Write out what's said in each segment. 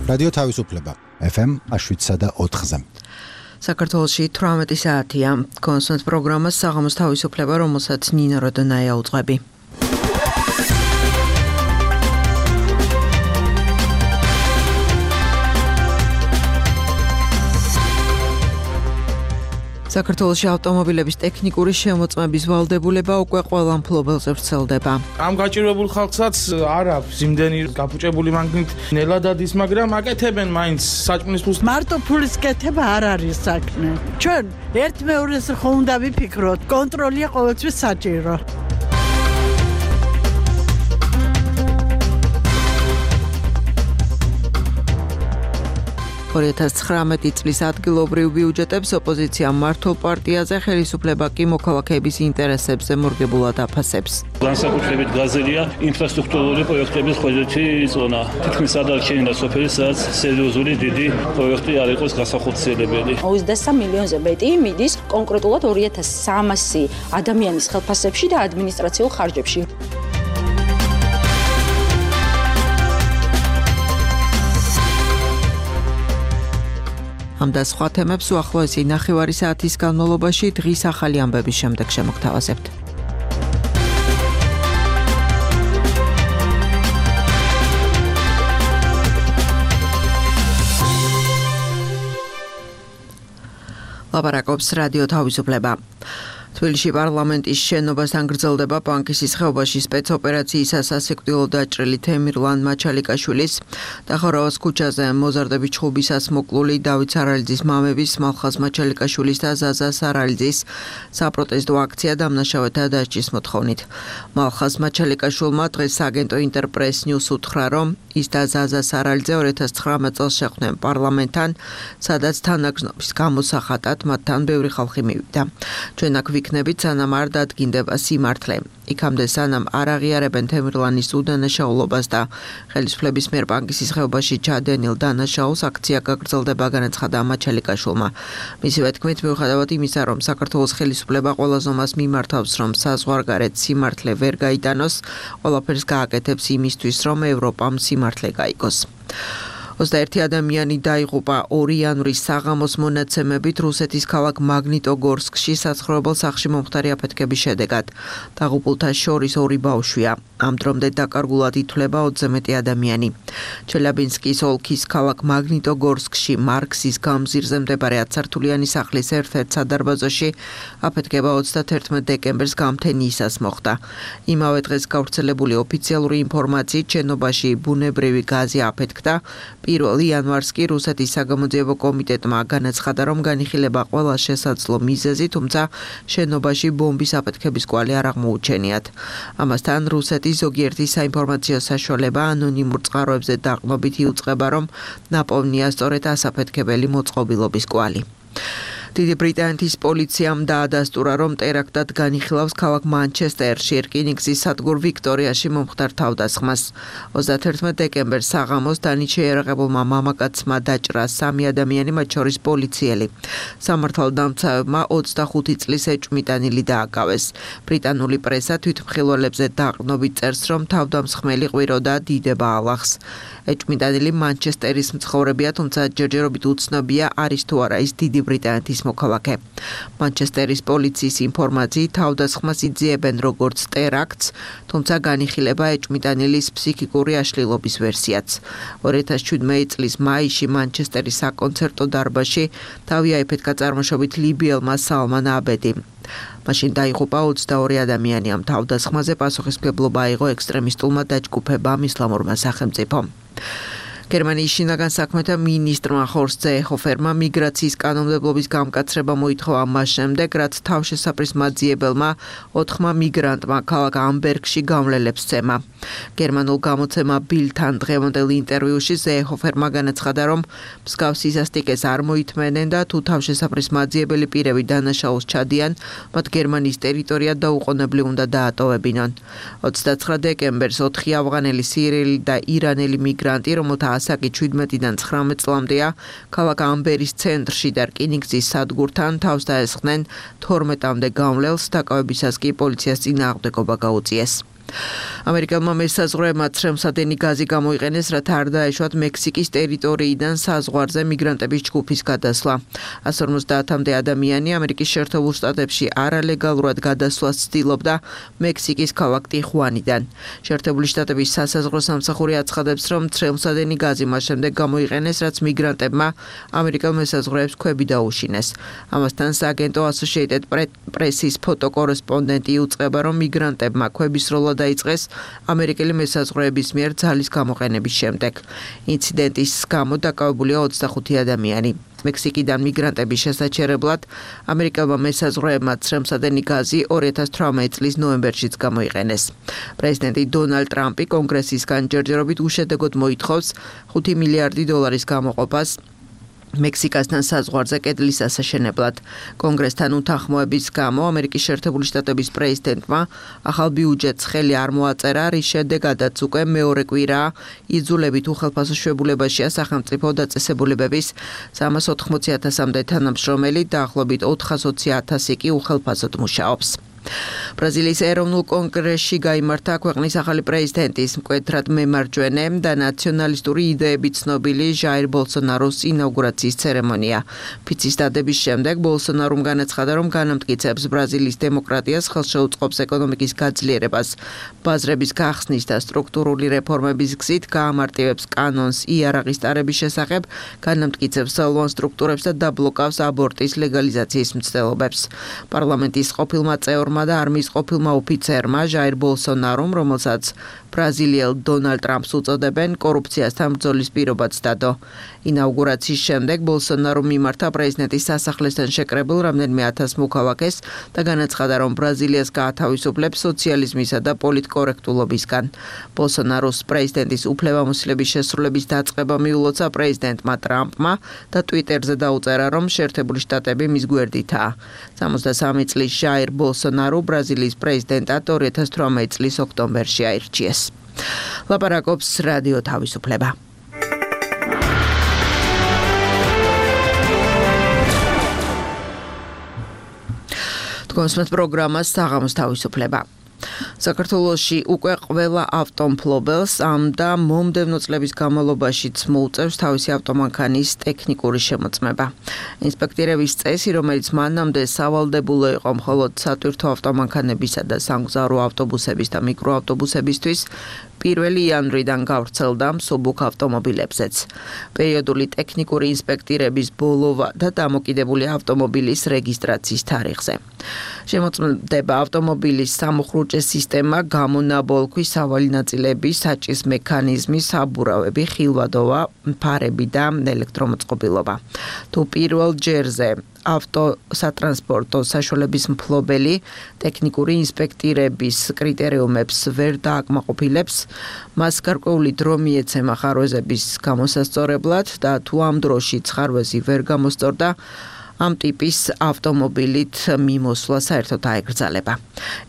რადიო თავისუფლება FM 7.4-ზე. საქართველოში 18 საათია. კონსულტ პროგრამას საღამოს თავისუფლება, რომელსაც ნინა როდონაია უძღვები. საქართველოში ავტომობილების ტექნიკური შემოწმების ვალდებულება უკვე ყველა მფლობელზე ვრცელდება. ამ გაჭირვებულ ხალხსაც არ აქვს იმდენი გაფუჭებული მაგნით ნელა დადის, მაგრამ აკეთებენ მაინც საჭმლის ფულს. მარტო ფულის კეთება არ არის საქმე. ჩვენ ერთმეორეს ხომ უნდა ვიფიქროთ, კონტროლია ყოველთვის საჭირო. 2019 წლის ადგილობრივ ბიუჯეტებს ოპოზიცია მართლ პარტიაზე, ხელისუფლება კი მოქალაქეების ინტერესებზე მორგებულად აფასებს. განსაკუთრებით გაზელია ინფრასტრუქტურული პროექტების ხოჯეთი ზონა. თითქმის არ დარჩენილა სოფელი, სადაც სერიოზული დიდი პროექტი არ იყოს გასახორციელებელი. 23 მილიონზე მეტი მიდის კონკრეტულად 2300 ადამიანის ხელფასებში და ადმინისტრაციულ ხარჯებში. ამ და სხვა თემებს უახლოესი ნახევარი საათის განმავლობაში დღის ახალი ამბების შემდეგ შემოგთავაზებთ. ლაპარაკობს რადიო თავისუფლება. თბილისში პარლამენტის შენობასთან გრძელდება ბანკისის ხეობაში სპეცოპერაციისას სასიკვდილო დაჭრილი თემირლან მაჩალიკაშვილის და ხორავას ქუჩაზე მოზარდების ჩხუბისას მოკლული დავით სარალიძის მამების მალხაზ მაჩალიკაშვილის და ზაზა სარალიძის საპროტესტო აქცია დამნაშავეთა დასჯის მოთხოვნით. მალხაზ მაჩალიკაშვილმა დღეს აგენტო ინტერპრეს ნიუს უთხრა, რომ ის და ზაზა სარალიძე 2019 წელს შეხვდნენ პარლამენტთან, სადაც თანაგზნობის გამოსახატად მათთან ბევრი ხალხი მივიდა. ჩვენ აქ ვიქნებით, სანამ არ დადგინდება სიმართლე. იქამდე სანამ არ აღიარებენ თემირლანის უდანაშაულობას და ხელისუფლების მიერ ბანკისის ხეობაში ჩადენილ დანაშაულს, აქცია გაგრძელდება, განაცხადა მაჩალიკაშვილმა. მისივე თქმით, მიუხედავად იმისა, რომ საქართველოს ხელისუფლება ყველა ზომას მიმართავს, რომ საზღვარგარეთ სიმართლე ვერ გაიტანოს, ყველაფერს გააკეთებს იმისთვის, რომ ევროპამ სიმართლე გაიგოს. 21 ადამიანი დაიღუპა 2 იანვრის საღამოს მონაცემებით რუსეთის ქალაქ მაგნიტოგორსკში საცხოვრებელ სახლში მომხდარი აფეთქების შედეგად. დაღუპულთა შორის 2 ბავშვია. ამ დრომდე დაკარგულად ითვლება 20-ზე მეტი ადამიანი. ჩელიაბინსკის ოლქის ქალაქ მაგნიტოგორსკში მარქსის გამზირზე მდებარე 10-სართულიანი სახლის ერთ-ერთ სადარბაზოში აფეთქება 31 დეკემბერს გამთენიისას მოხდა. იმავე დღეს გავრცელებული ოფიციალური ინფორმაციით შენობაში ბუნებრივი გაზი აფეთქდა. 1 იანვარს კი რუსეთის საგამოძიებო კომიტეტმა განაცხადა, რომ განიხილება ყველა შესაძლო მიზეზი, თუმცა შენობაში ბომბის აფეთქების კვალი არ აღმოუჩენიათ. ამასთან რუსეთის ზოგიერთი საინფორმაციო საშუალება ანონიმურ წყაროებზე დაყრდნობით იუწყება, რომ ნაპოვნია სწორედ ასაფეთქებელი მოწყობილობის კვალი. დიდი ბრიტანეთის პოლიციამ დაადასტურა, რომ ტერაქტად განიხილავს ქალაქ მანჩესტერში რკინიგზის სადგურ ვიქტორიაში მომხდარ თავდასხმას. 31 დეკემბერს საღამოს დანით შეიარაღებულმა მამაკაცმა დაჭრა 3 ადამიანი, მათ შორის პოლიციელი. სამართალდამცავებმა 25 წლის ეჭვმიტანილი დააკავეს. ბრიტანული პრესა თვითმხილველებზე დაყრდნობით წერს, რომ თავდამსხმელი ყვიროდა დიდება ალახს. ეჭვმიტანილი მანჩესტერის მცხოვრებია, თუმცა ჯერჯერობით უცნობია, არის თუ არა ის დიდი ბრიტანეთის მოქალაქე. მანჩესტერის პოლიციის ინფორმაციით თავდასხმას იძიებენ როგორც ტერაქტს, თუმცა განიხილება ეჭვმიტანილის ფსიქიკური აშლილობის ვერსიაც. 2017 წლის მაისში მანჩესტერის საკონცერტო დარბაზში თავი აიფეთქა წარმოშობით ლიბიელმა სალმან აბედი. მაშინ დაიღუპა 22 ადამიანი. ამ თავდასხმაზე პასუხისმგებლობა აიღო ექსტრემისტულმა დაჯგუფებამ ისლამურმა სახელმწიფომ. გერმანიის შინაგან საქმეთა მინისტრმა ჰორსტ ზეეჰოფერმა მიგრაციის კანონმდებლობის გამკაცრება მოითხოვა მას შემდეგ, რაც თავშესაფრის მაძიებელმა 4 მიგრანტმა ქალაქ ამბერგში გამლელებს სცემა. გერმანულ გამოცემა ბილდთან დღევანდელ ინტერვიუში ზეეჰოფერმა განაცხადა, რომ მსგავსი სასტიკეს არ მოითმენენ და თუ თავშესაფრის მაძიებელი პირები დანაშაულს ჩადიან, მათ გერმანიის ტერიტორია დაუყოვნებლივ უნდა დაატოვებინონ. 29 დეკემბერს 4 ავღანელი, სირიელი და ირანელი მიგრანტი, რომელთა ასაკი 17-დან 19 წლამდეა, ქალაქ ამბერის ცენტრში და რკინიგზის სადგურთან თავს დაესხნენ 12-მდე გამლელს, დაკავებისას კი პოლიციას წინააღმდეგობა გაუწიეს. ამერიკელმა მესაზღვრეებმა ცრემლსადენი გაზი გამოიყენეს, რათა არ დაეშვათ მექსიკის ტერიტორიიდან საზღვარზე მიგრანტების ჯგუფის გადასვლა. 150-მდე ადამიანი ამერიკის შეერთებულ შტატებში არალეგალურად გადასვლას ცდილობდა მექსიკის ქალაქ ტიხუანიდან. შეერთებული შტატების სასაზღვრო სამსახური აცხადებს, რომ ცრემლსადენი გაზი მას შემდეგ გამოიყენეს, რაც მიგრანტებმა ამერიკელ მესაზღვრეებს ქვები დაუშინეს. ამასთან სააგენტო Associated Press-ის ფოტოკორესპონდენტი უწყება, რომ მიგრანტებმა ქვების სროლა დაიწყეს ამერიკელი მესაზღვრეების მიერ ძალის გამოყენების შემდეგ. ინციდენტის გამო დაკავებულია 25 ადამიანი. მექსიკიდან მიგრანტების შესაჩერებლად ამერიკელმა მესაზღვრეებმა ცრემლსადენი გაზი 2018 წლის ნოემბერშიც გამოიყენეს. პრეზიდენტი დონალდ ტრამპი კონგრესისგან ჯერჯერობით უშედეგოდ მოითხოვს $5 მილიარდი გამოყოფას მექსიკასთან საზღვარზე კედლის ასაშენებლად. კონგრესთან უთანხმოების გამო ამერიკის შეერთებული შტატების პრეზიდენტმა ახალ ბიუჯეტს ხელი არ მოაწერა, რის შედეგადაც უკვე მეორე კვირაა იძულებით უხელფასო შვებულებაშია სახელმწიფო დაწესებულებების 380,000-მდე თანამშრომელი, დაახლოებით 420,000 კი უხელფასოდ მუშაობს. ბრაზილიის ეროვნულ კონგრესში გაიმართა ქვეყნის ახალი პრეზიდენტის მკვეთრად მემარჯვენე და ნაციონალისტური იდეებით ცნობილი ჟაირ ბოლსონაროს ინაუგურაციის ცერემონია. ფიცის დადების შემდეგ ბოლსონარომ განაცხადა, რომ განამტკიცებს ბრაზილიის დემოკრატიას, ხელს შეუწყობს ეკონომიკის გაძლიერებას, ბაზრების გახსნის და სტრუქტურული რეფორმების გზით, გაამარტივებს კანონს იარაღის ტარების შესახებ, განამტკიცებს ძალოვან სტრუქტურებს და დაბლოკავს აბორტის ლეგალიზაციის მცდელობებს. პარლამენტის ყოფილმა წევრმა და არმიის ყოფილმა ოფიცერმა ჟაირ ბოლსონარომ, რომელსაც ბრაზილიელ დონალდ ტრამპს უწოდებენ, კორუფციასთან ბრძოლის პირობაც დადო. ინაუგურაციის შემდეგ ბოლსონარომ მიმართა პრეზიდენტის სასახლესთან შეკრებილ რამდენიმე 1000 მოქალაქეს და განაცხადა, რომ ბრაზილიას გაათავისუფლებს სოციალიზმისა და პოლიტკორექტულობისგან. ბოლსონაროს პრეზიდენტის უფლებამოსილების შესრულების დაწყება მიულოცა პრეზიდენტმა ტრამპმა და ტვიტერზე დაუწერა, რომ შეერთებული შტატები მის გვერდითაა. 63 წლის ჟაირ ბოლსონარო ბრაზილიის პრეზიდენტად 2018 წლის ოქტომბერში აირჩიეს. ლაპარაკობს რადიო თავისუფლება. თქვენს პროგრამას საღამოს თავისუფლება. საქართველოში უკვე ყველა ავტომფლობელს ამ და მომდევნო წლების განმავლობაშიც მოუწევს თავისი ავტომანქანის ტექნიკური შემოწმება. ინსპექტირების წესი, რომელიც მანამდე სავალდებულო იყო მხოლოდ სატვირთო ავტომანქანებისა და სამგზავრო ავტობუსების და მიკროავტობუსებისთვის, 1 იანვრიდან გავრცელდა მსუბუქ ავტომობილებზეც. პერიოდული ტექნიკური ინსპექტირების ბოლოვა და დამოკიდებული ავტომობილის რეგისტრაციის თარიღზე. შემოწმდება ავტომობილის სამუხრუჭე სისტემა, გამონაბოლქვი, სავალი ნაწილები, საჭის მექანიზმი, საბურავები, ხილვადობა, ფარები და ელექტრომოწყობილობა. თუ პირველ ჯერზე ავტოსატრანსპორტო საშუალების მფლობელი ტექნიკური ინსპექტირების კრიტერიუმებს ვერ დააკმაყოფილებს, მას გარკვეული დრო მიეცემა ხარვეზების გამოსასწორებლად და თუ ამ დროში ხარვეზი ვერ გამოსწორდა, ამ ტიპის ავტომობილით მიმოსვლა საერთოდ აეკრძალება.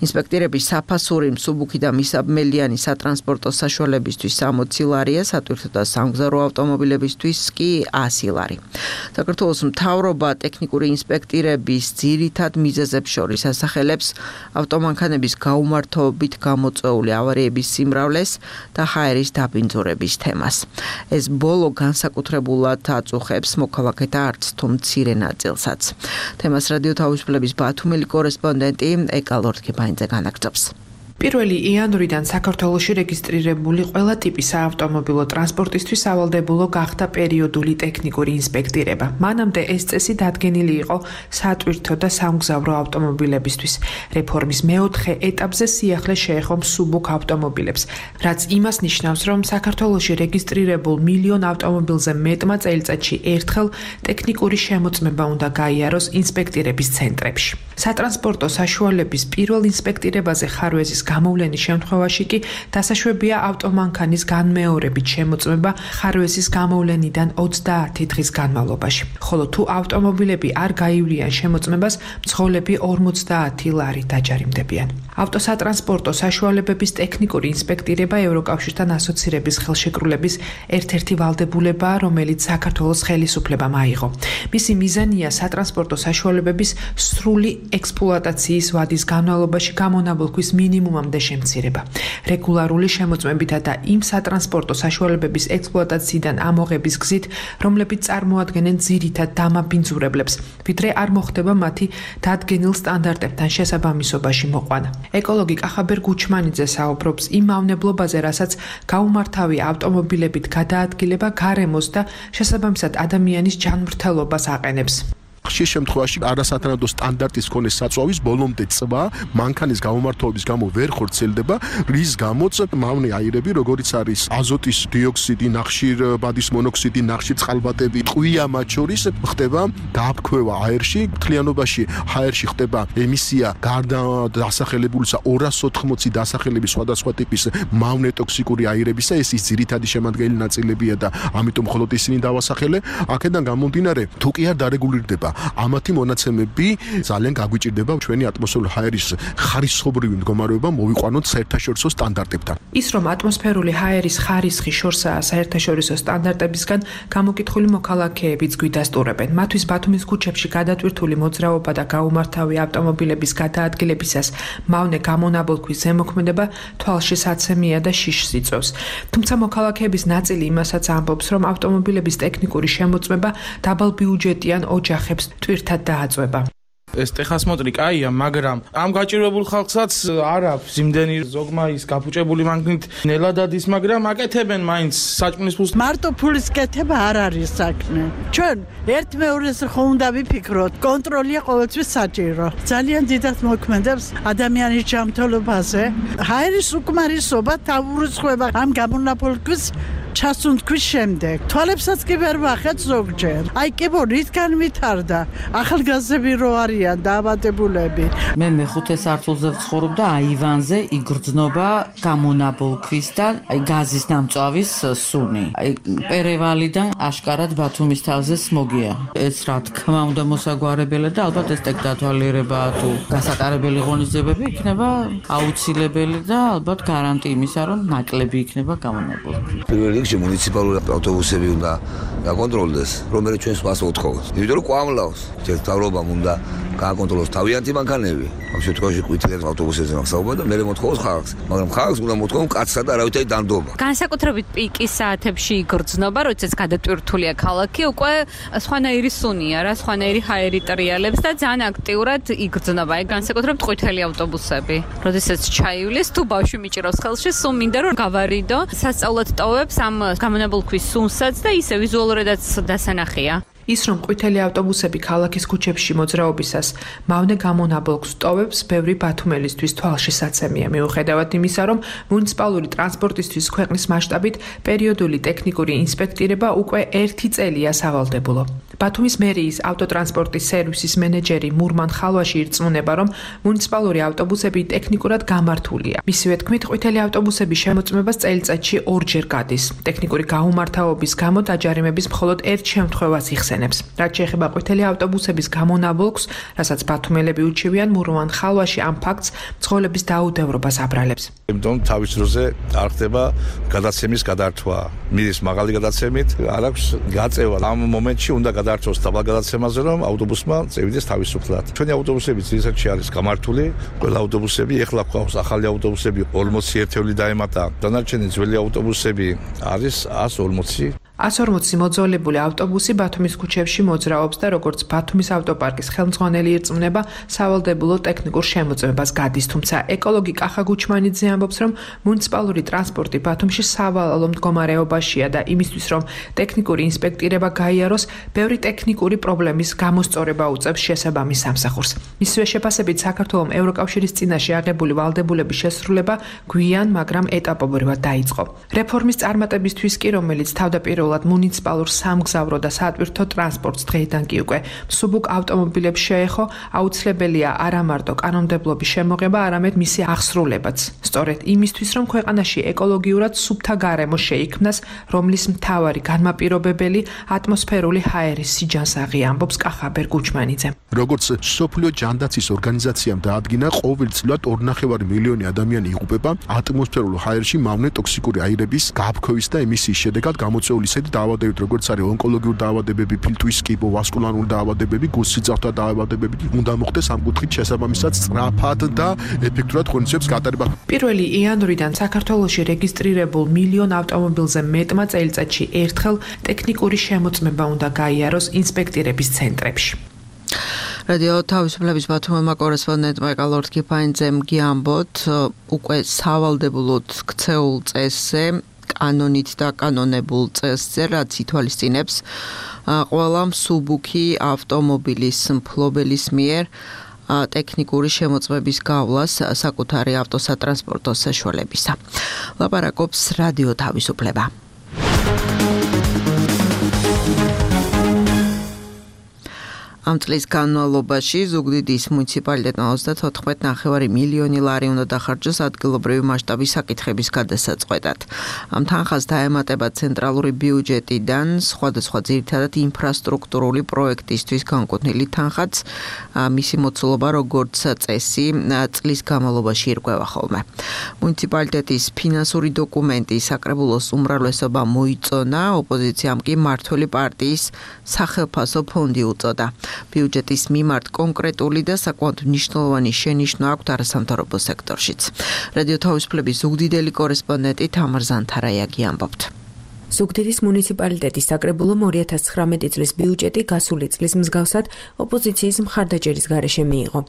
ინსპექტირების საფასური მსუბუქი და მისაბმელიანი სატრანსპორტო საშუალებისთვის 60 ლარია, სატვირთო და სამგზავრო ავტომობილებისთვის კი 100 ლარი. საქართველოს მთავრობა ტექნიკური ინსპექტირების ძირითად მიზეზებს შორის ასახელებს ავტომანქანების გაუმართობით გამოწვეული ავარიების სიმრავლეს და ჰაერის დაბინძურების თემას. ეს ბოლო განსაკუთრებულად აწუხებს მოქალაქეთა არც თუ მცირე ნაწილს. თემას რადიო თავისუფლების ბათუმელი კორესპონდენტი ეკა ლორთქებაინძე განაგრძობს. 1 იანვრიდან საქართველოში რეგისტრირებული ყველა ტიპის საავტომობილო ტრანსპორტისთვის სავალდებულო გახდა პერიოდული ტექნიკური ინსპექტირება. მანამდე ეს წესი დადგენილი იყო სატვირთო და სამგზავრო ავტომობილებისთვის. რეფორმის მეოთხე ეტაპზე სიახლე შეეხო მსუბუქ ავტომობილებს, რაც იმას ნიშნავს, რომ საქართველოში რეგისტრირებულ 1 მილიონ ავტომობილზე მეტმა წელიწადში ერთხელ ტექნიკური შემოწმება უნდა გაიაროს ინსპექტირების ცენტრებში. სატრანსპორტო საშუალების პირველ ინსპექტირებაზე ხარვეზის გამოვლენის შემთხვევაში კი დასაშვებია ავტომანქანის განმეორებით შემოწმება ხარვეზის გამოვლენიდან 30 დღის განმავლობაში. ხოლო თუ ავტომობილები არ გაივლიან შემოწმებას, მძღოლები 50 ლარი დაჯარიმდებიან. ავტოსატრანსპორტო საშუალებების ტექნიკური ინსპექტირება ევროკავშირთან ასოცირების ხელშეკრულების ერთ-ერთი ვალდებულებაა, რომელიც საქართველოს ხელისუფლებამ აიღო. მისი მიზანია სატრანსპორტო საშუალებების სრული ექსპლუატაციის ვადის განმავლობაში გამონაბოლქვის მინიმუმამდე შემცირება. რეგულარული შემოწმებითა და იმ სატრანსპორტო საშუალებების ექსპლუატაციიდან ამოღების გზით, რომლებიც წარმოადგენენ ძირითად დამაბინძურებლებს, ვიდრე არ მოხდება მათი დადგენილ სტანდარტებთან შესაბამისობაში მოყვანა. ეკოლოგი კახაბერ გუჩმანიძე საუბრობს იმ მავნებლობაზე, რასაც გაუმართავი ავტომობილებით გადაადგილება გარემოს და შესაბამისად ადამიანის ჯანმრთელობას აყენებს. ხშირ შემთხვევაში არასათანადო სტანდარტის მქონე საწვავის ბოლომდე წვა მანქანის გამომართვების გამო ვერ ხორციელდება, რის გამოც მავნე აირები, როგორიც არის აზოტის დიოქსიდი, ნახშირბადის მონოქსიდი, ნახშირწყალბადები, ტყვია მათ შორის ხდება დააბქვევა აერში, მთლიანობაში აერში ხდება ემისია გარდა დასახელებულისა 280 დასახელების სხვადასხვა ტიპის მავნე ტოქსიკური აირებისა, ეს ის ძირითადი შემადგენელი ნაწილებია და ამიტომ მხოლოდ ისინი დავასახელე. აქედან გამომდინარე, თუ კი არ დარეგულირდება ამათი მონაცემები ძალიან გაგვიჭირდება ჩვენი ატმოსფერული ჰაერის ხარისხობრივი მდგომარეობა მოვიყვანოთ საერთაშორისო სტანდარტებთან. ის რომ ატმოსფერული ჰაერის ხარისხი შორსაა საერთაშორისო სტანდარტებისგან, გამოკითხული მოქალაქეებიც გვიდასტურებენ. მათთვის ბათუმის ქუჩებში გადატვირთული მოძრაობა და გაუმართავი ავტომობილების გადაადგილებისას მავნე გამონაბოლქვის ზემოქმედება თვალში საცემია და შიშს იწვევს. თუმცა მოქალაქეების ნაწილი იმასაც ამბობს, რომ ავტომობილების ტექნიკური შემოწმება დაბალბიუჯეტიან ოჯახებს ტვირთად დააწვება. ეს ტეხასმოწრი კაია, მაგრამ ამ გაჭირვებულ ხალხსაც არ აქვს იმდენი ზოგმა ის გაფუჭებული მანქანით ნელა დადის, მაგრამ აკეთებენ მაინც საჭმლის ფულს. მარტო ფულის კეთება არ არის საქმე. ჩვენ ერთ-მეორეს ხო უნდა ვიფიქროთ, კონტროლია ყოველთვის საჭირო. ძალიან დიდად მოქმედებს ადამიანის ჯანმრთელობაზე. ჰაერის უკმარისობა თავურიცხება ამ გამონაბოლქვის ჩასუნთქვის შემდეგ. თვალებსაც კი ვერ ვახეთ ზოგჯერ. აი კი რითგან ვითარდა ახალგაზრდები რო არიან დაავადებულები. მე მეხუთე სართულზე ვცხოვრობ და აივანზე იგრძნობა გამონაბოლქვის და გაზის დამწვავის სუნი. პერევალიდან აშკარად ბათუმის თავზე სმოგია. ეს რა თქმა უნდა მოსაგვარებელი და ალბათ ეს ტექდათვალიერება თუ გასატარებელი ღონისძიებები იქნება აუცილებელი და ალბათ გარანტი იმისა, რომ ნაკლები იქნება გამონაბოლქვი. მუნიციპალური ავტობუსები უნდა გაკონტროლდეს, რომელიც ჩვენს მას მოთხოვს. იმიტომ რომ ყვამლავს, მთავრობამ უნდა გააკონტროლოს თავიანთი მანქანები. ამ შემთხვევაში ყვითელ ავტობუსებზე მახსოვდა და მე მოთხოვს ხალხს, მაგრამ ხალხს უნდა მოთხოვონ კაცსა და არავითარი დანდობა. განსაკუთრებით პიკის საათებში იგრძნობა, როდესაც გადატვირთულია ქალაქი, უკვე სხვანაირი სუნია რა, სხვანაირი ჰაერი ტრიალებს და ძალიან აქტიურად იგრძნობა. აი განსაკუთრებით ყვითელი ავტობუსები. როდესაც ჩაივლის თუ ბავშვი მიჭირავს ხელში, სულ მინდა რომ გავარიდო. სასწაულად ტოვებს ამ გამონაბოლქვის სუნსაც და ისე ვიზუალურადაც დასანახია. ის რომ ყვითელი ავტობუსები ქალაქის ქუჩებში მოძრაობისას მავნე გამონაბოლქს ტოვებს, ბევრი ბათუმელისთვის თვალში საცემია, მიუხედავად იმისა, რომ მუნიციპალური ტრანსპორტისთვის ქვეყნის მასშტაბით პერიოდული ტექნიკური ინსპექტირება უკვე 1 წელია სავალდებულო. ბათუმის მერიის ავტოტრანსპორტის სერვისის მენეჯერი მურმან ხალვაში ირწმუნება, რომ მუნიციპალური ავტობუსები ტექნიკურად გამართულია. მისივე თქმით, ყვითელი ავტობუსების შემოწმებას წელიწადში 2 ჯერ გადის. ტექნიკური გაუმართავობის გამო დაჯარიმების მხოლოდ 1 შემთხვევას იხსენებს. რაც შეეხება ყვითელი ავტობუსების გამონაბოლქს, რასაც ბათუმელები უჩივიან, მურმან ხალვაში ამ ფაქტს მძღოლების დაუდევრობას აბრალებს. იმიტომ თავის დროზე არ ხდება გადაცემის გადართვა. მიდის მაღალი გადაცემით, არ აქვს გაწევა. ამ მომენტში უნდა გადაართვოს დაბალ გადაცემაზე, რომ ავტობუსმა წევიდეს თავისუფლად. ჩვენი ავტობუსები ძირითადად არის გამართული, ყველა ავტობუსები ეხლა გვყავს ახალი ავტობუსები 40 ერთეული დაემატა. დანარჩენი ძველი ავტობუსები არის 140. 140 მოძველებული ავტობუსი ბათუმის ქუჩებში მოძრაობს და როგორც ბათუმის ავტოპარკის ხელმძღვანელი ირწმუნება, სავალდებულო ტექნიკურ შემოწმებას გადის, თუმცა ეკოლოგი კახა გუჩმანიძე ამბობს, რომ მუნიციპალური ტრანსპორტი ბათუმში სავალალო მდგომარეობაშია და იმისთვის, რომ ტექნიკური ინსპექტირება გაიაროს, ბევრი ტექნიკური პრობლემის გამოსწორება უწევს შესაბამის სამსახურს. მისივე შეფასებით საქართველოს ევროკავშირის წინაშე აღებული ვალდებულების შესრულება გვიან, მაგრამ ეტაპობრივად დაიწყო. რეფორმის წარმატებისთვის კი, რომელიც თავდაპირველად თავდაპირველად მუნიციპალურ სამგზავრო და სატვირთო ტრანსპორტს დღეიდან კი უკვე მსუბუქ ავტომობილებს შეეხო, აუცილებელია არა მარტო კანონმდებლობის შემოღება, არამედ მისი აღსრულებაც. სწორედ იმისთვის, რომ ქვეყანაში ეკოლოგიურად სუფთა გარემო შეიქმნას, რომლის მთავარი განმაპირობებელი ატმოსფერული ჰაერის სიჯანსაღი, ამბობს კახაბერ გუჩმანიძე. როგორც სოფლიო ჯანდაცვის ორგანიზაციამ დაადგინა, ყოველწლიურად 2.5 მილიონი ადამიანი იღუპება ატმოსფერულ ჰაერში მავნე ტოქსიკური აირების გაფრქვევის და ემისიის შედეგად გამოწვეული ისეთი დაავადებებით, როგორც არის ონკოლოგიური დაავადებები, ფილტვის კიბო, ვასკულარული დაავადებები, გულსიძახთა დაავადებები, უნდა მოხდეს ამ კუთხით შესაბამისად სწრაფად და ეფექტურად ღონისძიების გატარება. 1 იანვრიდან საქართველოში რეგისტრირებულ მილიონ ავტომობილზე მეტმა წელიწადში ერთხელ ტექნიკური შემოწმება უნდა გაიაროს ინსპექტირების ცენტრებში. რადიო თავისუფლების ბათუმელმა კორესპონდენტმა ეკალორთ კიფაინძემ გიამბოთ, უკვე სავალდებულოდ ქცეულ წესზე, კანონით და კანონებულ წესზე, რაც ითვალისწინებს ყველა მსუბუქი ავტომობილის მფლობელის მიერ ტექნიკური შემოწმების გავლას საკუთარი ავტოსატრანსპორტო საშუალებისა. ლაპარაკობს რადიო თავისუფლება. ამ წლის განმავლობაში ზუგდიდის მუნიციპალიტეტმა 34.9 მილიონი ლარი უნდა დახარჯოს ადგილობრივი მასშტაბის საკითხების გადასაწყვეტად. ამ თანხას დაემატება ცენტრალური ბიუჯეტიდან სხვადასხვა ძირითადად ინფრასტრუქტურული პროექტისთვის განკუთვნილი თანხაც, მისი მოცულობა როგორც წესი წლის განმავლობაში ირკვევა ხოლმე. მუნიციპალიტეტის ფინანსური დოკუმენტი საკრებულოს უმრავლესობა მოიწონა, ოპოზიციამ კი მმართველი პარტიის სახელფასო ფონდი უწოდა. ბიუჯეტის მიმართ კონკრეტული და საკმაოდ მნიშვნელოვანი შენიშვნა აქვთ არასამთავრობო სექტორშიც. რადიო თავისუფლების ზუგდიდელი კორესპონდენტი თამარ ზანთარაიაგი ამბობთ. ზუგდიდის მუნიციპალიტეტის საკრებულომ 2019 წლის ბიუჯეტი გასული წლის მსგავსად ოპოზიციის მხარდაჭერის გარეშე მიიღო.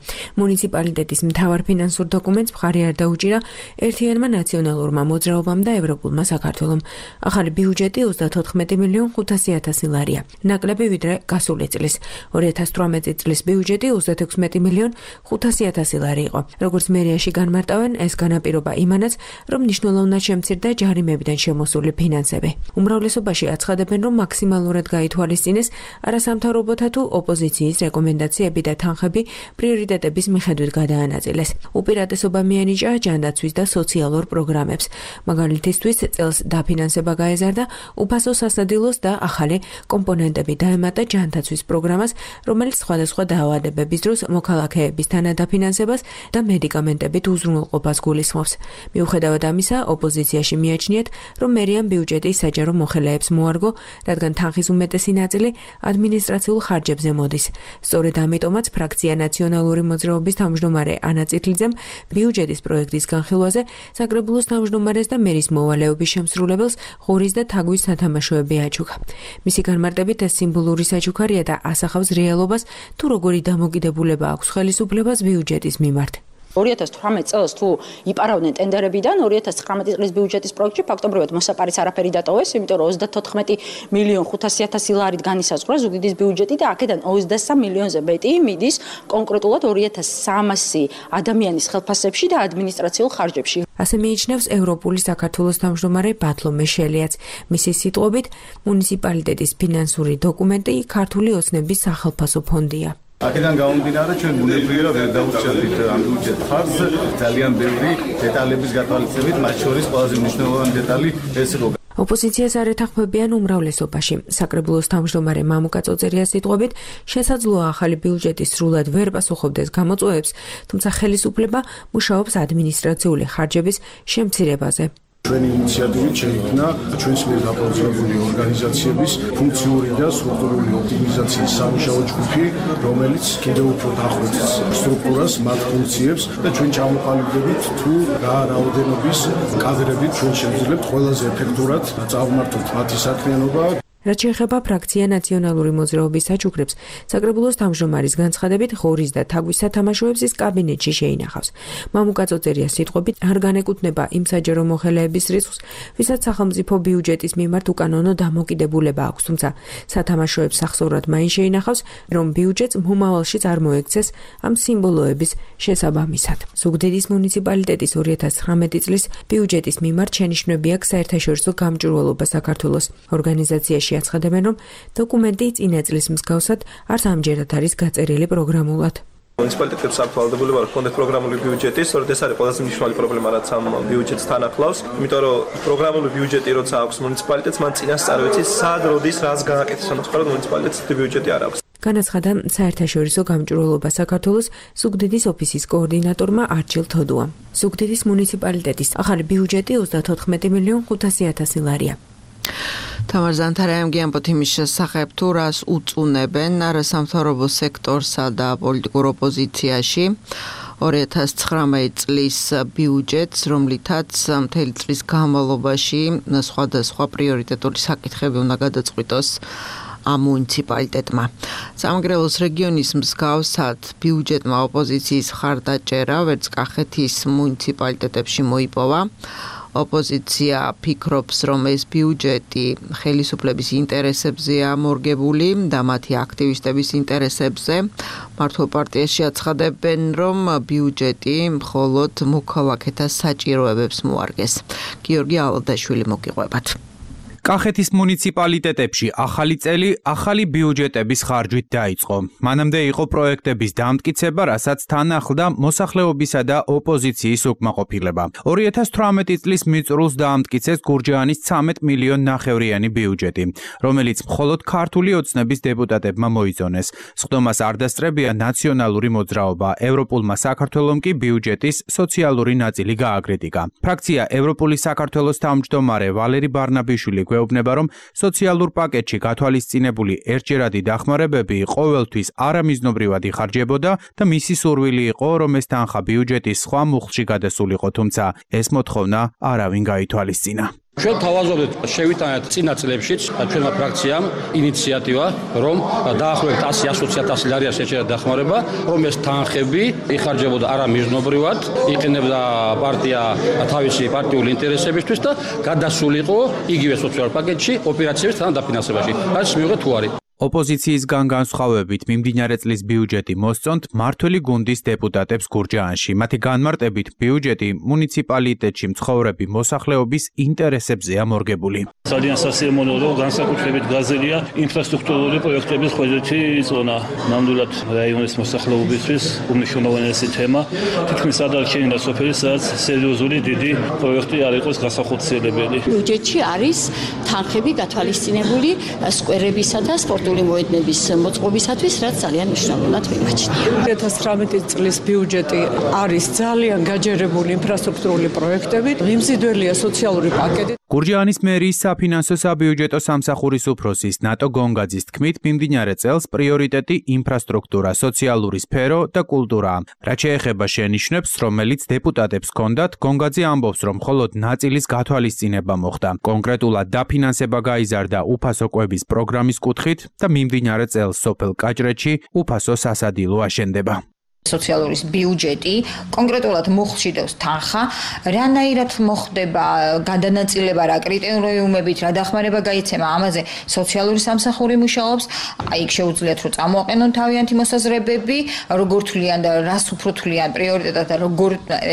მუნიციპალიტეტის მთავარ ფინანსურ დოკუმენტს მხარი არ დაუჭირა ერთიანმა ნაციონალურმა მოძრაობამ და ევროპულმა საქართველომ. ახალი ბიუჯეტი 34.500.000 ლარია, ნაკლები ვიდრე გასული წლის. 2018 წლის ბიუჯეტი 36.500.000 ლარი იყო. როგორც მერიაში განმარტავენ, ეს განაპირობა იმანაც, რომ მნიშვნელოვნად შემცირდა ჯარიმებიდან შემოსული ფინანსები. უმრავლესობაში აცხადებენ, რომ მაქსიმალურად გაითვალისწინეს არასამთავრობოთა თუ ოპოზიციის რეკომენდაციები და თანხები პრიორიტეტების მიხედვით გადაანაწილეს. უპირატესობა მიენიჭა ჯანდაცვის და სოციალურ პროგრამებს. მაგალითისთვის, წელს დაფინანსება გაეზარდა უფასო სასადილოს და ახალი კომპონენტები დაემატა ჯანდაცვის პროგრამას, რომელიც სხვადასხვა დაავადებების დროს მოქალაქეების თანადაფინანსებას და მედიკამენტებით უზრუნველყოფას გულისხმობს. მიუხედავად ამისა, ოპოზიციაში მიაჩნიათ, რომ მერიამ ბიუჯეტის საჯარო მოხელეებს მოარგო, რადგან თანხის უმეტესი ნაწილი ადმინისტრაციულ ხარჯებზე მოდის. სწორედ ამიტომაც ფრაქცია ნაციონალური მოძრაობის თავმჯდომარე ანა წითლიძემ ბიუჯეტის პროექტის განხილვაზე საკრებულოს თავმჯდომარეს და მერის მოვალეობის შემსრულებელს ღორის და თაგვის სათამაშოები აჩუქა. მისი განმარტებით ეს სიმბოლური საჩუქარია და ასახავს რეალობას, თუ როგორი დამოკიდებულება აქვს ხელისუფლებას ბიუჯეტის მიმართ. 2018 წელს თუ იპარავდნენ ტენდერებიდან 2019 წლის ბიუჯეტის პროექტში ფაქტობრივად მოსაპარის არაფერი დატოვეს, იმიტომ რომ 34.500.000 ლარით განისაზღვრა ზუგდიდის ბიუჯეტი და აქედან 23 მილიონზე მეტი მიდის კონკრეტულად 2300 ადამიანის ხელფასებში და ადმინისტრაციულ ხარჯებში. ასე მიიჩნევს ევროპული საქართველოს თავმჯდომარე ბათლომე შელიაც. მისი სიტყვებით, მუნიციპალიტეტის ფინანსური დოკუმენტი ქართული ოცნების სახელფასო ფონდია. აქედან გამომდინარე, ჩვენ ბუნებრივია ვერ დაუჭერდით ამ ბიუჯეტ ხარჯს, ძალიან ბევრი დეტალების გათვალისწინებით, მათ შორის ყველაზე მნიშვნელოვანი დეტალი ეს იყო. ოპოზიციას არ ეთანხმებიან უმრავლესობაში. საკრებულოს თავმჯდომარე მამუკა წოწერიას სიტყვებით, შესაძლოა ახალი ბიუჯეტი სრულად ვერ პასუხობდეს გამოწვევებს, თუმცა ხელისუფლება მუშაობს ადმინისტრაციული ხარჯების შემცირებაზე. ჩვენი ინიციატივით შეიქმნა ჩვენს მიერ დაპროექტებული ორგანიზაციების ფუნქციური და სტრუქტურული ოპტიმიზაციის სამუშაო ჯგუფი, რომელიც კიდევ უფრო დახვეწს სტრუქტურას, მათ ფუნქციებს და ჩვენ ჩამოყალიბდებით თუ რა რაოდენობის კადრებით ჩვენ შევძლებთ ყველაზე ეფექტურად წავმართოთ მათი საქმიანობა. რაც შეეხება ფრაქცია ნაციონალური მოძრაობის საჩუქრებს, საკრებულოს თავმჯდომარის განცხადებით ღორის და თაგვის სათამაშოებს ის კაბინეტში შეინახავს. მამუკა წოწერიას სიტყვებით არ განეკუთვნება იმ საჯარო მოხელეების რისკს, ვისაც სახელმწიფო ბიუჯეტის მიმართ უკანონო დამოკიდებულება აქვს, თუმცა სათამაშოებს სახსოვრად მაინც შეინახავს, რომ ბიუჯეტს მომავალში წარმოექცეს ამ სიმბოლოების შესაბამისად. ზუგდიდის მუნიციპალიტეტის 2019 წლის ბიუჯეტის მიმართ შენიშვნები აქვს საერთაშორისო გამჭვირვალობა საქართველოს ორგანიზაციაში აცხადებენ, რომ დოკუმენტი წინა წლის მსგავსად არც ამჯერად არის გაწერილი პროგრამულად. მუნიციპალიტეტებს აქვს ვალდებულება რომ ჰქონდეთ პროგრამული ბიუჯეტი, სწორედ ეს არის ყველაზე მნიშვნელოვანი პრობლემა, რაც ამ ბიუჯეტს თან ახლავს. იმიტომ რომ პროგრამული ბიუჯეტი როცა აქვს მუნიციპალიტეტს, მან წინასწარ ვიცი, სად როდის რას გააკეთეს, ამიტომ მუნიციპალიტეტს ბიუჯეტი არ აქვს. განაცხადა საერთაშორისო გამჭვირვალობა საქართველოს ზუგდიდის ოფისის კოორდინატორმა არჩილ თოდუამ. ზუგდიდის მუნიციპალიტეტის ახალი ბიუჯეტი 34,500,000 ლარია. თამარ ზანთარაიმ გიამბოთ იმის შესახებ, თუ რას უწუნებენ არასამთავრობო სექტორსა და პოლიტიკურ ოპოზიციაში 2019 წლის ბიუჯეტს, რომლითაც მთელი წლის განმავლობაში სხვადასხვა პრიორიტეტული საკითხები უნდა გადაწყვიტოს ამ მუნიციპალიტეტმა. სამეგრელოს რეგიონის მსგავსად ბიუჯეტმა ოპოზიციის მხარდაჭერა ვერც კახეთის მუნიციპალიტეტებში მოიპოვა. ოპოზიცია ფიქრობს, რომ ეს ბიუჯეტი ხელისუფლების ინტერესებზეა მორგებული და მათი აქტივისტების ინტერესებზე. მართლ პარტიაში აცხადებენ, რომ ბიუჯეტი მხოლოდ მოქალაქეთა საჭიროებებს მოარგეს. გიორგი ალადაშვილი მოგიყვებათ. კახეთის მუნიციპალიტეტებში ახალი წელი ახალი ბიუჯეტების ხარჯვით დაიწყო. მანამდე იყო პროექტების დამტკიცება, რასაც თან ახლდა მოსახლეობისა და ოპოზიციის უკმაყოფილება. 2018 წლის მიწურულს დაამტკიცეს გურჯაანის 13 მილიონ ნახევრიანი ბიუჯეტი, რომელიც მხოლოდ ქართული ოცნების დეპუტატებმა მოიწონეს. სხდომას არ დასწრებია ნაციონალური მოძრაობა, ევროპულმა საქართველომ კი ბიუჯეტის სოციალური ნაწილი გააკრიტიკა. ფრაქცია ევროპული საქართველოს თავმჯდომარე ვალერი ბარნაბიშვილი გვეუბნება, რომ სოციალურ პაკეტში გათვალისწინებული ერთჯერადი დახმარებები ყოველთვის არამიზნობრივად იხარჯებოდა და მისი სურვილი იყო, რომ ეს თანხა ბიუჯეტის სხვა მუხლში გადასულიყო, თუმცა ეს მოთხოვნა არავინ გაითვალისწინა. ჩვენ თავაზობთ შევიტანეთ წინა წლებშიც ჩვენმა ფრაქციამ ინიციატივა, რომ დაახლოებით 100-120,000 ლარია შეჭერა დახმარება, რომ ეს თანხები იხარჯებოდა არამიზნობრივად, იყენებდა პარტია თავისი პარტიული ინტერესებისთვის და გადასულიყო იგივე სოციალურ პაკეტში ოპერაციების თან დაფინანსებაში. რაც მივიღეთ თუ არის. ოპოზიციისგან განსხვავებით მიმდინარე წლის ბიუჯეტი მოსწონთ მმართველი გუნდის დეპუტატებს გურჯაანში. მათი განმარტებით ბიუჯეტი მუნიციპალიტეტში მცხოვრები მოსახლეობის ინტერესებზეა მორგებული. ძალიან სასიამოვნოა, რომ განსაკუთრებით გაზელია ინფრასტრუქტურული პროექტების ხოჭეთი წონა. ნამდვილად რაიონის მოსახლეობისთვის უმნიშვნელოვანესი თემა. თითქმის არ დარჩენილა სოფელი, სადაც სერიოზული დიდი პროექტი არ იყოს გასახორციელებელი. ბიუჯეტში არის თანხები გათვალისწინებული სკვერებისა და სპორტ მოედნების მოწყობისათვის, რაც ძალიან მნიშვნელოვნად მიმაჩნია. 2019 წლის ბიუჯეტი არის ძალიან გაჯერებული ინფრასტრუქტურული პროექტებით, მიმზიდველია სოციალური პაკეტი. გურჯაანის მერიის საფინანსო საბიუჯეტო სამსახურის უფროსის ნატო გონგაძის თქმით, მიმდინარე წელს პრიორიტეტი ინფრასტრუქტურა, სოციალური სფერო და კულტურაა. რაც შეეხება შენიშვნებს, რომელიც დეპუტატებს ჰქონდათ, გონგაძე ამბობს, რომ მხოლოდ ნაწილის გათვალისწინება მოხდა. კონკრეტულად დაფინანსება გაიზარდა უფასო კვების პროგრამის კუთხით და მიმდინარე წელს სოფელ კაჭრეთში უფასო სასადილო აშენდება. სოციალურის ბიუჯეტი კონკრეტულად მუხლში დევს თანხა, რანაირად მოხდება გადანაწილება, რა კრიტერიუმებით, რა დახმარება გაიცემა, ამაზე სოციალური სამსახური მუშაობს, აი იქ შეუძლიათ რომ წამოაყენონ თავიანთი მოსაზრებები, როგორ თვლიან და რას უფრო თვლიან პრიორიტეტად და როგორ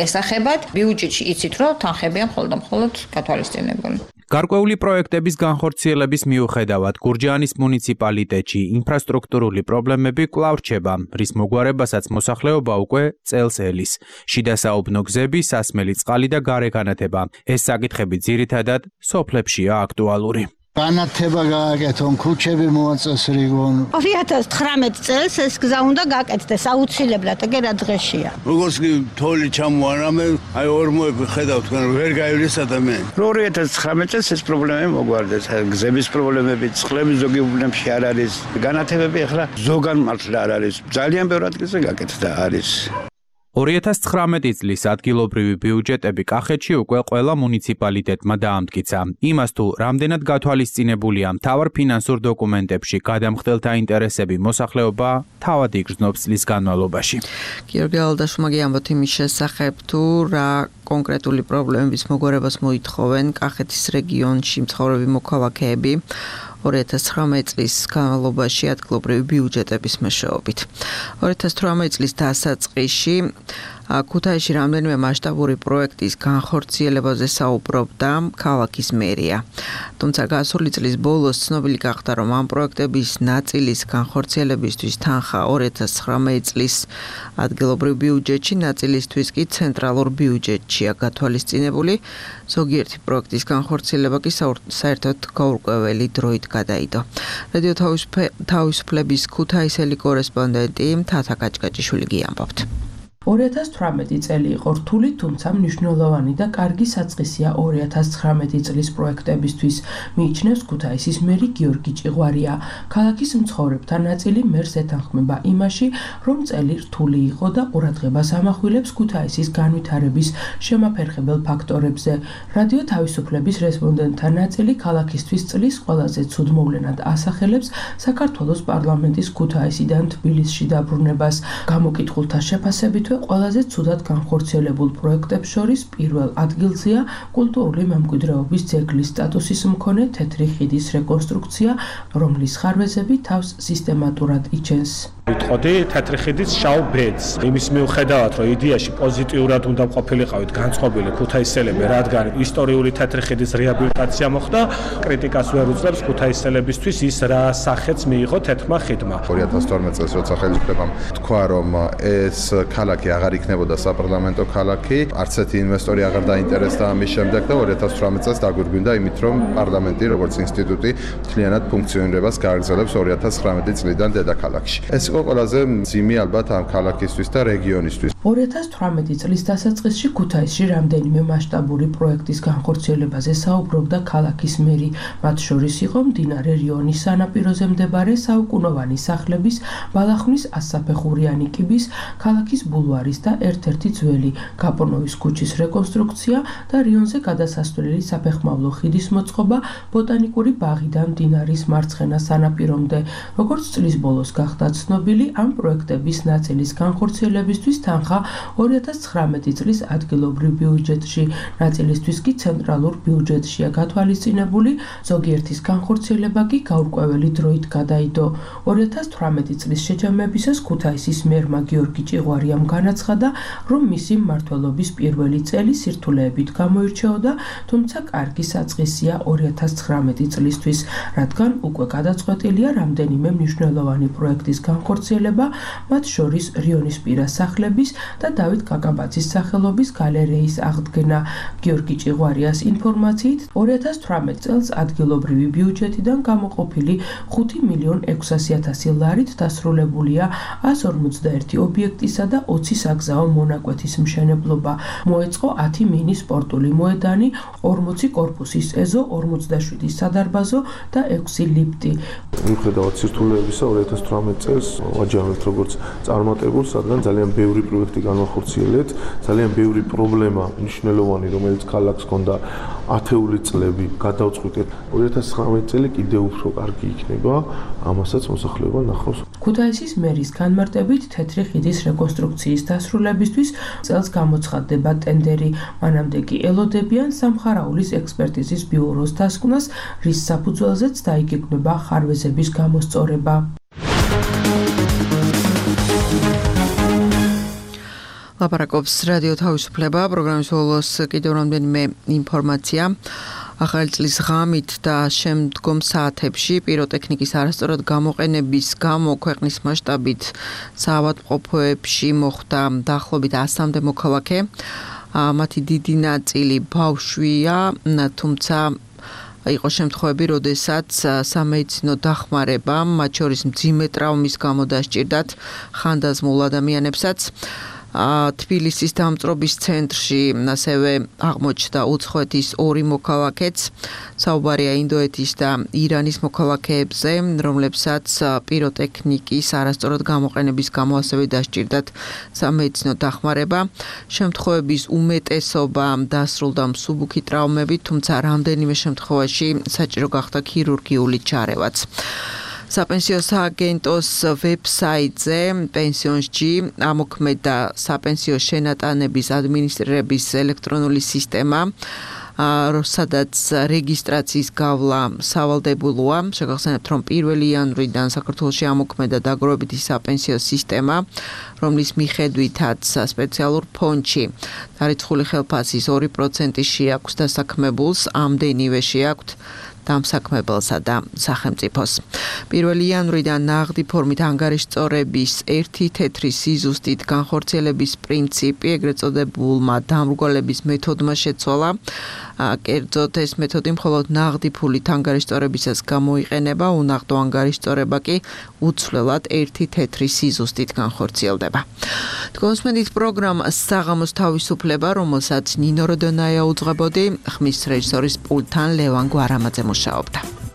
ესახებათ, ბიუჯეტში იცით რომ თანხებია მხოლოდ გათვალისწინებული. გარკვეული პროექტების განხორციელების მიუხედავად გურჯაანის მუნიციპალიტეტში ინფრასტრუქტურული პრობლემები კვლავ რჩება, რის მოგვარებასაც მოსახლეობა უკვე წელს ელის. შიდა საუბნო გზები, სასმელი წყალი და გარეგანათება. ეს საკითხები ძირითადად სოფლებშია აქტუალური. განათება გააკეთონ, ქუჩები მოაწეს რეგიონ. 2019 წელს ეს გზა უნდა გააკეთდეს აუცილებლად, ეგ რა დღეშია. როგორც კი თოვლი ჩამოარამე, აი ორმოები ხედავთ, ვერ გაივლის ადამიანი. 2019 წელს ეს პრობლემები მოგვარდეს, გზების პრობლემები, წყლები ზოგი უბნებში არ არის, განათებები ახლა ზოგან მართლა არ არის. ძალიან ბევრ ადგილზე გაკეთდა არის. 2019 წლის ადგილობრივი ბიუჯეტები კახეთში უკვე ყველა მუნიციპალიტეტმა დაამტკიცა. იმას თუ რამდენად გათვალისწინებულია მთავარ ფინანსურ დოკუმენტებში გადამხდელთა ინტერესები მოსახლეობა თავად იგრძნობს წლის განმავლობაში. გიორგი ალდაშვილმა გიამბოთ იმის შესახებ თუ რა კონკრეტული პრობლემების მოგვარებას მოითხოვენ კახეთის რეგიონში მცხოვრები მოქალაქეები 2019 წლის განმავლობაში ადგილობრივი ბიუჯეტების მეშვეობით. 2018 წლის დასაწყისში ქუთაისში რამდენიმე მასშტაბური პროექტის განხორციელებაზე საუბრობდა ქალაქის მერია. თუმცა გასული წლის ბოლოს ცნობილი გახდა, რომ ამ პროექტების ნაწილის განხორციელებისთვის თანხა 2019 წლის ადგილობრივ ბიუჯეტში, ნაწილისთვის კი ცენტრალურ ბიუჯეტშია გათვალისწინებული. ზოგიერთი პროექტის განხორციელება კი საერთოდ გაურკვეველი დროით გადაიდო. რადიო თავისუფლების ქუთაისელი კორესპონდენტი თათა კაჭკაჭიშვილი გიამბობთ. 2018 წელი იყო რთული, თუმცა მნიშვნელოვანი და კარგი საწყისია 2019 წლის პროექტებისთვის, მიიჩნევს ქუთაისის მერი გიორგი ჭიღვარია. ქალაქის მცხოვრებთა ნაწილი მერს ეთანხმება იმაში, რომ წელი რთული იყო და ყურადღებას ამახვილებს ქუთაისის განვითარების შემაფერხებელ ფაქტორებზე. რადიო თავისუფლების რესპონდენტთა ნაწილი ქალაქისთვის წლის ყველაზე ცუდ მოვლენად ასახელებს საქართველოს პარლამენტის ქუთაისიდან თბილისში დაბრუნებას. გამოკითხულთა შეფასებითვე ყველაზე ცუდად განხორციელებულ პროექტებს შორის პირველ ადგილზეა კულტურული მემკვიდრეობის ძეგლის სტატუსის მქონე თეთრი ხიდის რეკონსტრუქცია, რომლის ხარვეზები თავს სისტემატურად იჩენს. ვიტყოდი თეთრი ხიდის შავ ბედს. იმის მიუხედავად, რომ იდეაში პოზიტიურად უნდა ყოფილიყავით განწყობილი ქუთაისელები, რადგან ისტორიული თეთრი ხიდის რეაბილიტაცია მოხდა, კრიტიკას ვერ უძლებს ქუთაისელებისთვის ის რა სახეც მიიღო თეთრმა ხიდმა. 2012 წელს როცა ხელისუფლებამ თქვა, რომ ეს ქალაქი აღარ იქნებოდა საპარლამენტო ქალაქი, არც ერთი ინვესტორი აღარ დაინტერესდა ამის შემდეგ და 2018 წელს დაგვირგვინდა იმით, რომ პარლამენტი როგორც ინსტიტუტი მთლიანად ფუნქციონირებას გააგრძელებს 2019 წლიდან დედაქალაქში. ეს იყო ყველაზე მძიმე ალბათ ამ ქალაქისთვის და რეგიონისთვის. 2018 წლის დასაწყისში ქუთაისში რამდენიმე მასშტაბური პროექტის განხორციელებაზე საუბრობდა ქალაქის მერი. მათ შორის იყო მდინარე რიონის სანაპიროზე მდებარე საუკუნოვანი სახლების ბალახნის 100-საფეხურიანი კიბის, ქალაქის ბულვარის და ერთ-ერთი ძველი გაპონოვის ქუჩის რეკონსტრუქცია და რიონზე გადასასვლელი საფეხმავლო ხიდის მოწყობა ბოტანიკური ბაღიდან მდინარის მარცხენა სანაპირომდე. როგორც წლის ბოლოს გახდა ცნობილი, ამ პროექტების ნაწილის განხორციელებისთვის თანხა 2019 წლის ადგილობრივ ბიუჯეტში, ნაწილისთვის კი ცენტრალურ ბიუჯეტშია გათვალისწინებული, ზოგიერთის განხორციელება კი გაურკვეველი დროით გადაიდო. 2018 წლის შეჯამებისას ქუთაისის მერმა გიორგი ჭიღვარიამ განაცხადა, რომ მისი მმართველობის პირველი წელი სირთულეებით გამოირჩეოდა, თუმცა კარგი საწყისია 2019 წლისთვის, რადგან უკვე გადაწყვეტილია რამდენიმე მნიშვნელოვანი პროექტის განხორციელება, მათ შორის რიონისპირა სახლების და დავით კაკაბაძის სახელობის გალერეის აღდგენა. გიორგი ჭიღვარიას ინფორმაციით, 2018 წელს ადგილობრივი ბიუჯეტიდან გამოყოფილი 5.600.000 ლარით დასრულებულია 151 ობიექტისა და 20 საგზაო მონაკვეთის მშენებლობა. მოეწყო 10 მინი სპორტული მოედანი, 40 კორპუსის ეზო, 47 სადარბაზო და 6 ლიფტი. მიუხედავად სირთულეებისა 2018 წელს ვაჯამებთ როგორც წარმატებულს, რადგან ძალიან ბევრი პროექტი განახორციელეთ, ძალიან ბევრი პრობლემა მნიშვნელოვანი, რომელიც ქალაქს ჰქონდა ათეული წლები გადავწყვიტეთ. 2019 წელი კიდევ უფრო კარგი იქნება, ამასაც მოსახლეობა ნახავს. ქუთაისის მერის განმარტებით თეთრი ხიდის რეკონსტრუქციის დასრულებისთვის წელს გამოცხადდება ტენდერი. მანამდე კი ელოდებიან სამხარაულის ექსპერტიზის ბიუროს დასკვნას, რის საფუძველზეც დაიგეგმება ხარვეზების გამოსწორება. ლაპარაკობს რადიო თავისუფლება, პროგრამის ბოლოს კიდევ რამდენიმე ინფორმაცია. ახალი წლის ღამით და შემდგომ საათებში პიროტექნიკის არასწორად გამოყენების გამო ქვეყნის მასშტაბით საავადმყოფოებში მოხდა დაახლოებით 100-მდე მოქალაქე. მათი დიდი ნაწილი ბავშვია, თუმცა იყო შემთხვევები, როდესაც სამედიცინო დახმარება, მათ შორის მძიმე ტრავმის გამო დასჭირდათ ხანდაზმულ ადამიანებსაც. თბილისის დამწრობის centrში ასევე აღმოჩნდა უცხოეთის 2 მოქალაქეც. საუბარია ინდოეთის და ირანის მოქალაქეებზე, რომლებსაც პიროტექნიკის არასწორად გამოყენების გამო ასევე დასჭირდათ სამედიცინო დახმარება. შემთხვევების უმეტესობა დასრულდა მსუბუქი ტრავმებით, თუმცა რამდენიმე შემთხვევაში საჭირო გახდა ქირურგიული ჩარევაც. საპენსიო სააგენტოს ვებსაიტზე პენსიონსჯი ამოქმედა საპენსიო შენატანების ადმინისტრირების ელექტრონული სისტემა, სადაც რეგისტრაციის გავლა სავალდებულოა. შეგახსენებთ, რომ 1 იანვრიდან საქართველოში ამოქმედა დაგროვებითი საპენსიო სისტემა, რომლის მიხედვითაც სპეციალურ ფონდში დარიცხული ხელფასის 2% შეაქვს დასაქმებულს, ამდენივე შეაქვთ დამსაქმებელსა და სახელმწიფოს. 1 იანვრიდან ნაღდი ფორმით ანგარიშწორების ერთი თეთრი სიზუსტით განხორციელების პრინციპი ეგრეთ წოდებულმა დამრგვალების მეთოდმა შეცვალა. კერძოდ ეს მეთოდი მხოლოდ ნაღდი ფულით ანგარიშწორებისას გამოიყენება, უნაღდო ანგარიშწორება კი უცვლელად ერთი თეთრი სიზუსტით განხორციელდება. თქვენსმენით პროგრამა საღამოს თავისუფლება, რომელსაც ნინო როდონაია უძღვებოდი, ხმის რეჟისორის პულტთან ლევან გვარამაძე მუშაობდა.